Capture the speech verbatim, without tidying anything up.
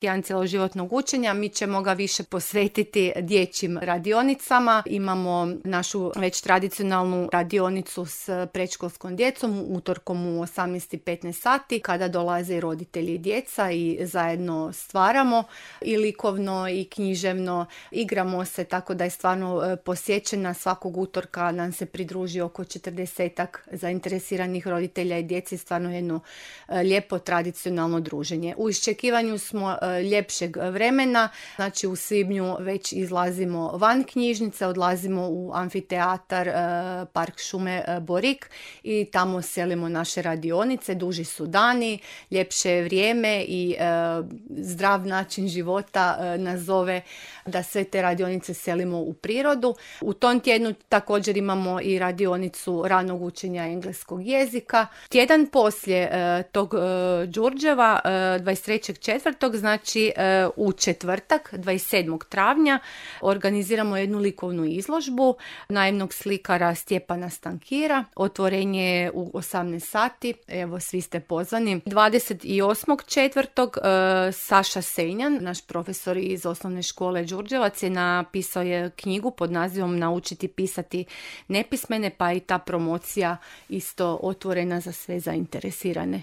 tjedan cjeloživotnog učenja. Mi ćemo ga više posvetiti dječjim radionicama. Imamo našu već tradicionalnu radionicu s predškolskom djecom utorkom u osamnaest i petnaest sati kada dolaze i roditelji i djeca i zajedno stvaramo i likovno i književno. Igramo se tako da je stvarno posjećena. Svakog utorka nam se pridruži oko četrdesetak zainteresiranih roditelja i djeci. Stvarno jedno lijepo tradicionalno druženje. U iščekivanju smo ljepšeg vremena, znači u svibnju već izlazimo van knjižnice, odlazimo u amfiteatar Park šume Borik i tamo selimo naše radionice. Duži su dani, ljepše je vrijeme i zdrav način života nas zove da sve te radionice selimo u prirodu. U tom tjednu također imamo i radionicu ranog učenja engleskog jezika. Tjedan poslije tog Đurđeva, dvadeset trećeg četvrtog, znači u četvrtak, dvadeset sedmog travnja, organiziramo jednu likovnu izložbu naivnog slikara Stjepana Stankira. Otvorenje je u osamnaest sati, evo svi ste pozvani. dvadeset osmog četvrtog Saša Senjan, naš profesor iz osnovne škole Đurđevac, je napisao je knjigu pod nazivom Naučiti pisati nepismene, pa i ta promocija isto otvorena za sve zainteresirane.